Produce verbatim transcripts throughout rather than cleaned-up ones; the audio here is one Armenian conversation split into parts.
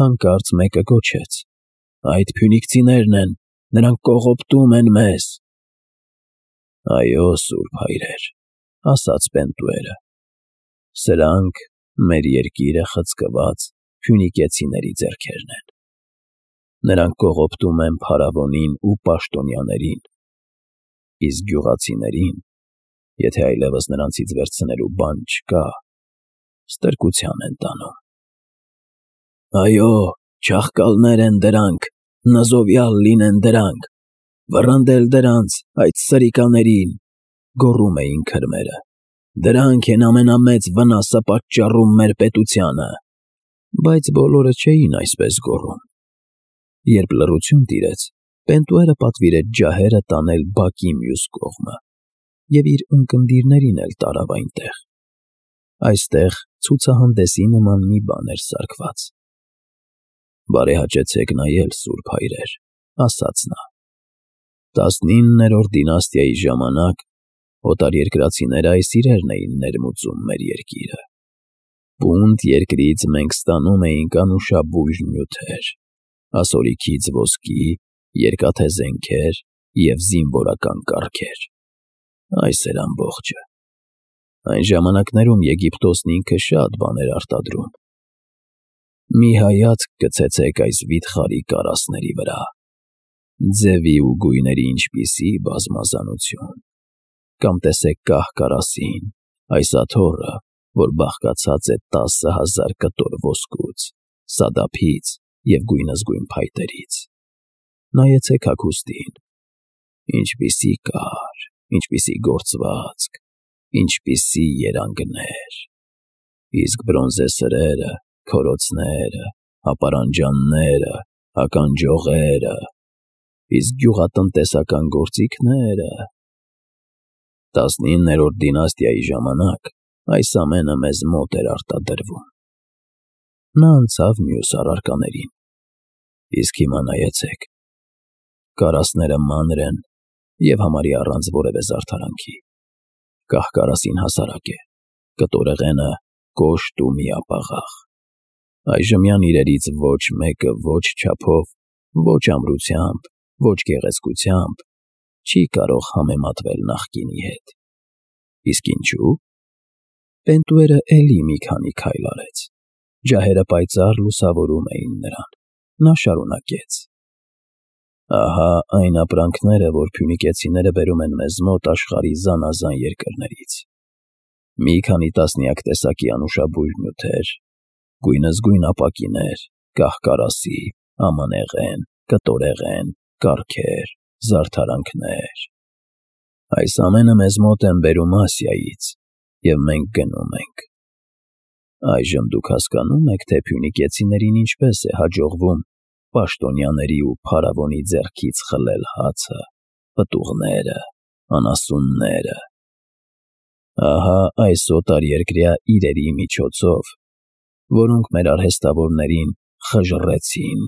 Հանկարծ մեկը գոչեց. «Այդ փյունիկցիներն են, նրանք կողոպտում են մեզ»։ «Այո, սուրբ հայրեր», ասաց Պենտուերը, «սրանք մեր երկիրը խցկված փյունիկեցիների ձեռքերն են։ Նրանք կողոպտում են փարավոնին ու պաշտոնյաներին, իսկ գյուղացիներին, եթե այլևս նրանցից վերցնելու բան չկա, ստրկության են տանում»։ «Այո, չաղկալներ են դրանք, նզովյալ լինեն դրանք, վռնդել դրանց, այդ սրիկաներին», գոռում էին քրմերը, «դրանք են ամենամեծ վնասը պատճառում մեր պետությանը»։ Բայց բոլորը չէին այսպես գոռում։ Երբ լռություն տիրեց, Պենտուերը պատվիրեց ջահերը տանել բակի մյուս կողմը և իր ունկնդիրներին էլ տարավ այնտեղ։ Այստեղ ցուցահանդեսի նման մի բան էր սարքված։ «Բարեհաճեցեք նայել, սուրբ հայրեր», ասաց նա։ «Տասնիններորդ դինաստիայի ժամանակ օտարերկրացիները այս իրերն էին ներմուծում մեր երկիրը։ Պունդ երկրից մենք ստանում էինք անուշաբույր նյութեր, ասորիքից ոսկի, երկաթե զենքեր և զինվորական կառքեր։ Այս էր ամբողջը։ Այն ժամանակներում Եգիպտոսն ինքը շատ բան էր արտադրում։ Մի հայացք գցեցեք այս վիթխարի կարասների վրա, ձևի ու գույների ինչպիսի բազմազանություն։ Կամ տեսեք կահ֊կարասին, այս աթոռը, որ բաղկացած է տասը հազար կտոր ոսկուց, սադափից և գույնզգույն փայտերից։ Նայեցեք հագուստին, ինչպիսի կար, ինչպիսի գործվածք, ինչպիսի երանգներ։ Իսկ բրոնզե սրերը, քորոցները, ապարանջանները, ականջողերը, իսկ գյուղատնտեսական գործիքները… Տասնիններորդ դինաստիայի ժամանակ այս ամենը մեզ մոտ էր արտադրվում»։ Նա անցավ մյուս առարկաներին։ «Իսկ հիմա նայեցեք. կարասները մանր են և համարյա առանց որևէ զարդարանքի, կահ֊կարասին հասարակ է, կտորեղենը կոշտ ու միապաղաղ։ Այժմյան իրերից ոչ մեկը ոչ չափով, ոչ ամրությամբ, ոչ գեղեցկությամբ չի կարող համեմատվել նախկինի հետ։ Իսկ ինչու՞։ Պենտուերը էլի մի քանի քայլ արեց։ Ջահերը պայծառ լուսավորում էին նրան։ Նա շարունակեց. «Ահա այն ապրանքները, որ փյունիկեցիները բերում են մեզ մոտ աշխարհի զանազան երկրներից. մի քանի տասնյակ տեսակի անուշաբույր նյութեր, գույնզգույն ապակիներ, կահ֊կարասի, ամանեղեն, կտորեղեն, կառքեր, զարդարանքներ։ Այս ամենը մեզ մոտ են բերում Ասիայից, և մենք գնում ենք։ Այժմ դուք հասկանո՞ւմ եք, թե փյունիկեցիներին ինչպես է հաջողվում պաշտոնյաների ու փարավոնի ձեռքից խլել հացը, պտուղները, անասունները։ Ահա այս օտարերկրյա իրերի միջոցով, որոնք մեր արհեստավորներին խժռեցին,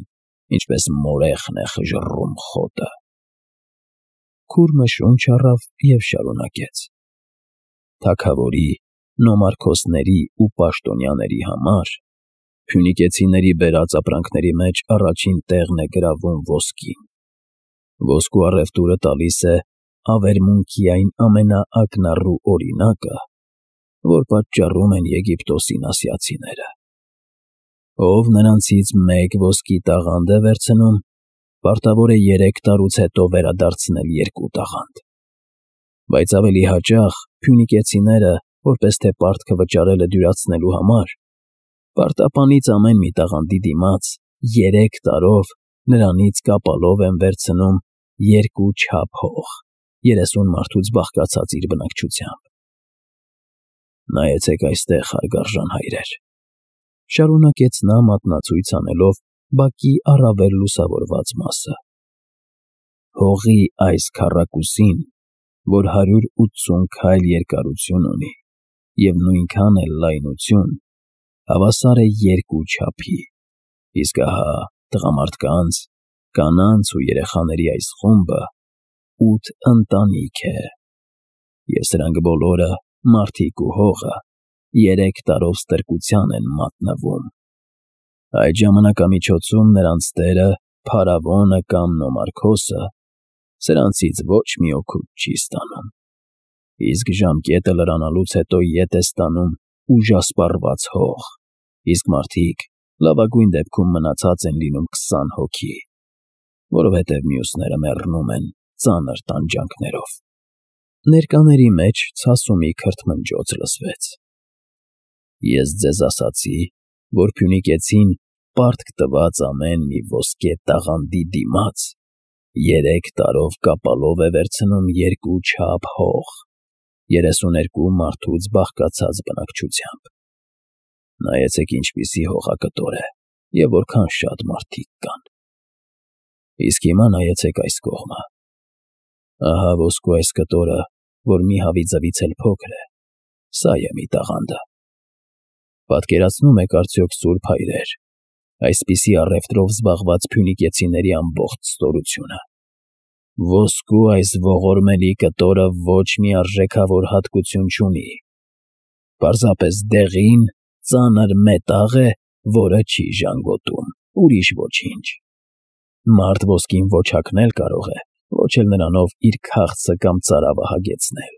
ինչպես մորեխն է խժռում խոտը»։ Քուրմը շունչ առավ և շարունակեց. «Թագավորի, նոմարքոսների ու պաշտոնյաների համար փյունիկեցիների բերած ապրանքների մեջ առաջին տեղն է գրավում ոսկին։ Ոսկու առևտուրը տալիս է ավերմունքի այն ամենաակնառու օրինակը, որ պատճառում են Եգիպտոսին ասիացիները։ Ով նրանցից մեկ ոսկի տաղանդ է վերցնում, պարտավոր է երեք տարուց հետո վերադարձնել երկու տաղանդ։ Բայց ավելի հաճախ փյունիկեցիները, որպես թե պարտքը վճարելը դյուրացնելու համար, պարտապանից ամեն մի տաղանդի դիմաց երեք տարով նրանից կապալով են վերցնում երկու չափ հող, երեսուն մարդուց բաղկացած իր բնակչությամբ։ Նայեցեք այստեղ, հարգարժան հայրեր», շարունակեց նա մատնացույց անելով բակի առավել լուսավորված մասը։ «Հողի այս քառակուսին, որ հարյուր ութսուն քայլ երկարություն ունի և նույնքան էլ լայնություն, հավասար է երկու չափի, իսկ ահա տղամարդկանց, կանանց ու երեխաների այս խումբը ութ ընտանիք է, և սրանք բոլորը, մարդիկ ու հողը, երեք տարով ստրկության են մատնվում։ Այդ ժամանակամիջոցում նրանց տերը, փարավոնը կամ Նոմարքոսը, սրանցից ոչ մի օգուտ չի ստանում, իսկ ժամկետը լրանալուց հետո ետ է ստանում ուժասպառված հող, իսկ մարդիկ լավագույն դեպքում մնացած են լինում քսան հոգի, որովհետև մյուսները մեռնում են ծանր տանջանքներով։ Ներկաների մեջ ցասումի քրթմնջոց լսվեց. Ես ձեզ ասացի, որ Փյունիկեցին պարտք տված ամեն մի ոսկե տաղանդի դիմաց երեք տարով կապալով է վերցնում երկու չափ հող, երեսուներկու մարդուց բաղկացած բնակչությամբ։ Նայեցեք ինչպիսի հողակտոր է և որքան շատ մարդիկ կան։ Իսկ հիմա նայեցեք այս կողմը։ Ահա ոսկու այս կտորը, որ մի հավի ձվից էլ փոքր է, սա է մի տաղանդը։ Պատկերացնում եք արդյոք սուրբ հայրեր, այսպիսի առևտրով զբաղված փյունիկեցիների ամբողջ ստորությունը։ Ոսկու այս ողորմելի կտորը ոչ մի արժեքավոր հատկություն չունի, պարզապես դեղին, ծանր մետաղ է, որը չի ժանգոտում, ուրիշ ոչինչ։ Մարդ ոսկին ոչ հագնել կարող է, ոչ էլ նրանով իր քաղցը կամ ծարավը հագեցնել։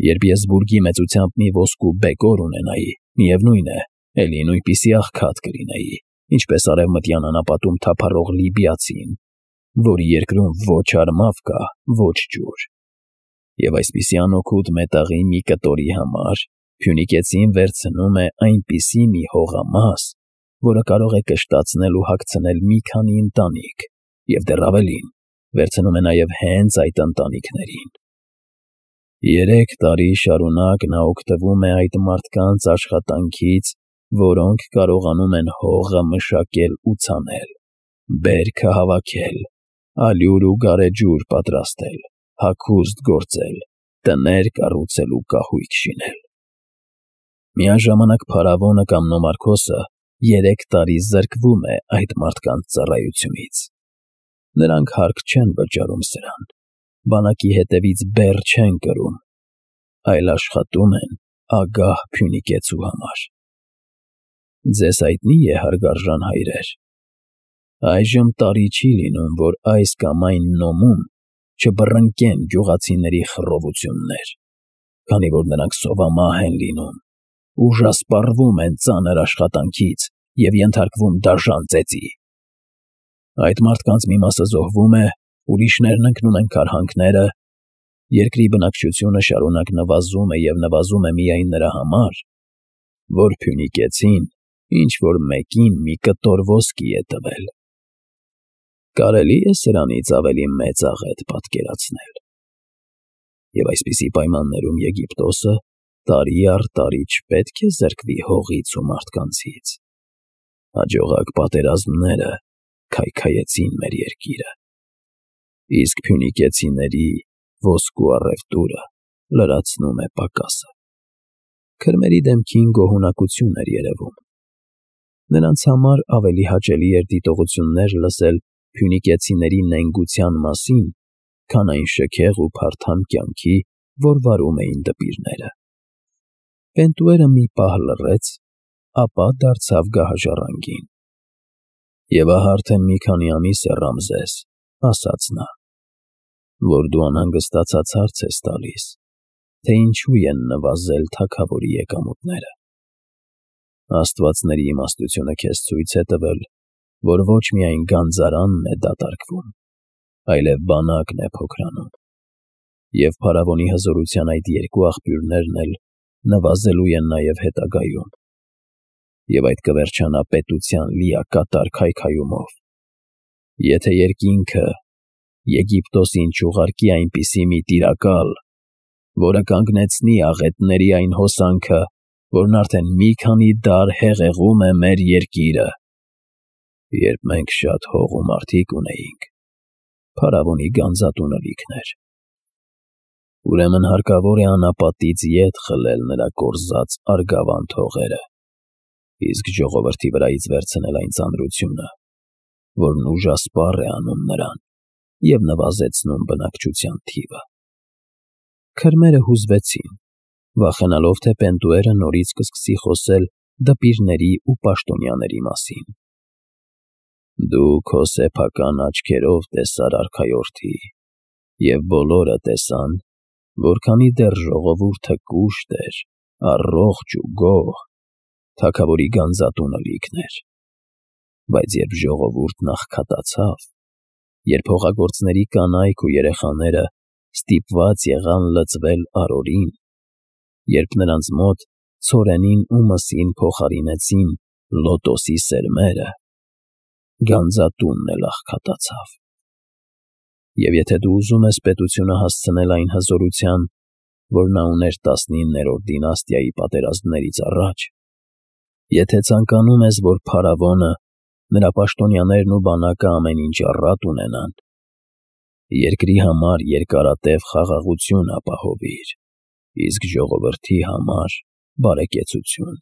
Երբ ես բուրգի մեծությամբ մի ոսկու բեկոր ունենայի, միևնույն է, էլի նույնպիսի աղքատ կլինեի, ինչպես արևմտյան անապատում թափառող լիբիացին, որի երկրում ոչ արմավ կա, ոչ ջուր։ Եվ այսպիսի անօգուտ մետաղի մի կտորի համար Փյունիկեցին վերցնում է այնպիսի մի հողամաս, որը կարող է կշտացնել ու հագցնել մի քանի ընտանիք, և դեռ ավելին, վերցնում է նաև հենց այդ ընտանիքներին։ Երեք տարի շարունակ նա օգտվում է այդ մարդկանց աշխատանքից, որոնք կարողանում են հողը մշակել ու ցանել, բերքը հավաքել, ալյուր ու գարեջուր պատրաստել, հագուստ գործել, տներ կառուցել ու կահույք շինել։ Միաժամանակ փարավոնը կամ Նոմարքոսը երեք տարի զրկվում է այդ մարդկանց ծառայությունից։ Նրանք հարկ չեն վճարում սրան, բանակի հետևից բեռ չեն կրում, այլ աշխատում են ագահ փյունիկեցու համար։ Ձեզ հայտնի է, հարգարժան հայրեր, այժմ տարի չի լինում, որ այս կամ այն նոմում չբռնկեն գյուղացիների խռովություններ, քանի որ նրանք սովամահ են լինում, ուժասպառվում են ծանր աշխատանքից և ենթարկվում դաժան ծեծի։ Այդ մարդկանց մի մասը զոհվում է, ուրիշներն ընկնում են քարհանքները, երկրի բնակչությունը շարունակ նվազում է և նվազում է միայն նրա համար, որ Փյունիկեցին ինչ-որ մեկին մի կտոր ոսկի է տվել։ Կարելի է սրանից ավելի մեծ աղետ պատկերացնել։ Եվ այսպիսի պայմաններում Եգիպտոսը տարի առ տարի չպետք է զրկվի հողից ու մարդկանցից։ Հաջողակ պատերազմները քայքայեցին մեր երկիրը, իսկ փյունիկեցիների ոսկու առևտուրը լրացնում է պակասը։ Քրմերի դեմքին գոհունակություն էր երևում։ Նրանց համար ավելի հաճելի էր դիտողություններ լսել փյունիկեցիների նենգության մասին, քան այն շքեղ ու փարթամ կյանքի, որ վարում էին դպիրները։ Պենտուերը մի պահ լռեց, ապա դարձավ գահաժառանգին։ Եվ ահա արդեն մի քանի ամիս է, Ռամզես, ասաց նա, որ դու անհանգստացած հարց ես տալիս, թե ինչու են նվազել թագավորի եկամուտները։ Աստվածների իմաստությունը քեզ ցույց է տվել, որ ոչ միայն գանձարանն է դատարկվում, այլև բանակն է փոքրանում, և փարավոնի հզորության այդ երկու աղբյուրներն էլ նվազելու են նաև հետագայում, և այդ կվերջանա պետության լիակատար քայքայումով, եթե երկինքը Եգիպտոսին չուղարկի այնպիսի մի տիրակալ, որը կանգնեցնի աղետների այն հոսանքը, որն արդեն մի քանի դար հեղեղում է մեր երկիրը, երբ մենք շատ հող ու մարդիկ ունեինք, փարավոնի գանձատունը լիքն էր։ Ուրեմն հարկավոր է անապատից ետ խլել նրա կորզած արգավանդ հողերը, իսկ ժողովրդի վրայից վերցնել այն ծանրությունը, որն ուժասպառ է անում նրան և նվազեցնում բնակչության թիվը։ Քրմերը հուզվեցին, վախենալով, թե Պենտուերը նորից կսկսի խոսել դպիրների ու պաշտոնյաների մասին։ Դու քո սեփական աչքերով տեսար արքայորդի, և բոլորը տեսան, որքանի դեռ ժողովուրդը կուշտ էր, առողջ ու գոհ, թագավորի գանձատունը լիքն էր, բայց երբ ժողովուրդն աղքատացավ, երբ հողագործների կանայք ու երեխաները ստիպված եղան լծվել արորին, երբ նրանց մոտ ցորենին ու մսին փոխարինեցին լոտոսի սերմերը, գանձատունն էլ աղքատացավ։ Եվ եթե դու ուզում ես պետությունը հասցնել այն հզորության, որ նա ուներ տասնիններորդ դինաստիայի պատերազմներից առաջ, եթե ցանկանում ես, որ փարավոնը, նրա պաշտոնյաներն ու բանակը ամեն ինչ առատ ունենան, երկրի համար երկարատև խաղաղություն ապահովիր, իսկ ժողովրդի համար բարեկեցություն։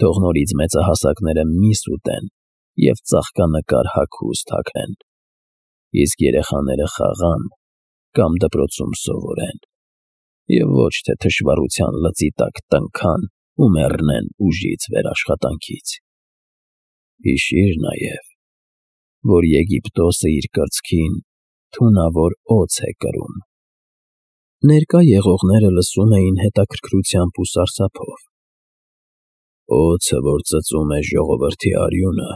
Թող նորից մեծահասակները միս ուտեն և ծաղկանկար հագուստ հագնեն, իսկ երեխաները խաղան կամ դպրոցում սովորեն, և ոչ թե թշվառության լծի տակ տնքան ու մեռնեն ուժից վեր աշխատանքից։ Հիշիր նաև, որ Եգիպտոսը իր կրծքին թունավոր օձ է կրում։ Ներկա եղողները լսում էին հետաքրքրությամբ ու սարսափով։ Օձը, որ ծծում է ժողովրդի արյունը,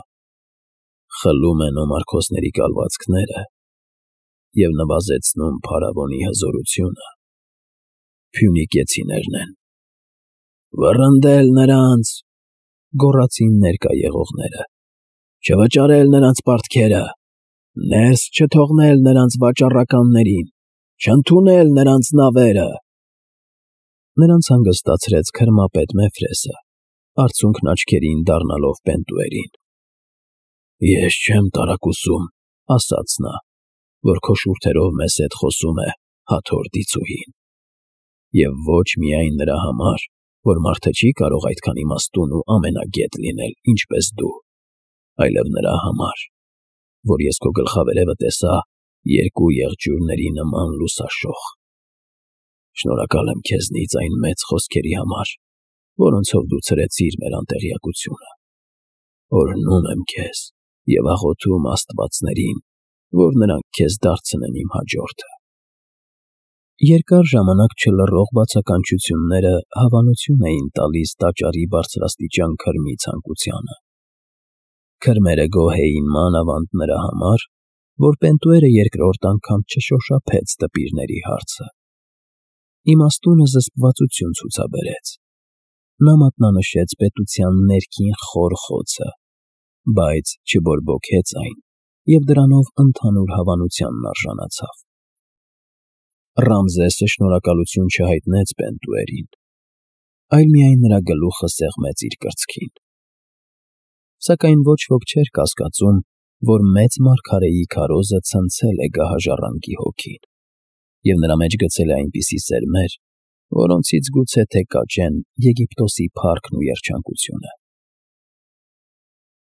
խլում է նոմարքոսների կալվածքները և նվազեցնում փարավոնի հզորությունը, փյունիկեցիներն են։ «Վռնդել նրանց», գոռացին ներկա եղողները, «չվճարել նրանց պարտքերը, ներս չթողնել նրանց վաճառականներին, չընդունել նրանց նավերը»։ Նրանց հանգստացրեց քրմապետ Մեֆրեսը, արցունքն աչքերին դառնալով Պենտուերին։ «Ես չեմ տարակուսում», ասաց նա, «որ քո շուրթերով մեզ հետ խոսում է Հաթոր դիցուհին, և ոչ միայն նրա համար, որ մարդը չի կարող այդքան իմաստուն ու ամենագետ լինել, ինչպես դու, այլև նրա համար, որ ես քո գլխավերևը տեսա երկու եղջյուրների նման լուսաշող։ Շնորհակալ եմ քեզնից այն մեծ խոսքերի համար, որոնցով դու ցրեցիր մեր անտեղյակությունը։ Օրհնում եմ քեզ և աղոթում աստվածներին, որ նրանք քեզ դարձնեն իմ հաջորդը»։ Երկար ժամանակ չլռող բացականչությունները հավանություն էին տալիս տաճարի բարձրաստիճան քրմի ցանկությանը։ Քրմերը գոհ էին մանավանդ նրա համար, որ Պենտուերը երկրորդ անգամ չշոշափեց դպիրների հարցը։ Իմաստունը զսպվածություն ցուցաբերեց։ Նա մատնանշեց պետության ներքին խոր խոցը, բայց չբորբոքեց այն և դրանով ընդհանուր հավանությանն արժանացավ։ Ռամզեսը շնորհակալություն չհայտնեց Պենտուերին, այլ միայն նրա գլուխը սեղմեց իր կրծքին։ Սակայն ոչ ոք չէր կասկածում, որ մեծ մարգարեի քարոզը ցնցել է գահաժառանգի հոգին, և նրա մեջ գցել է այնպիսի սերմեր, որոնցից գուցե թե կաճեն Եգիպտոսի փառքն ու երջանկությունը։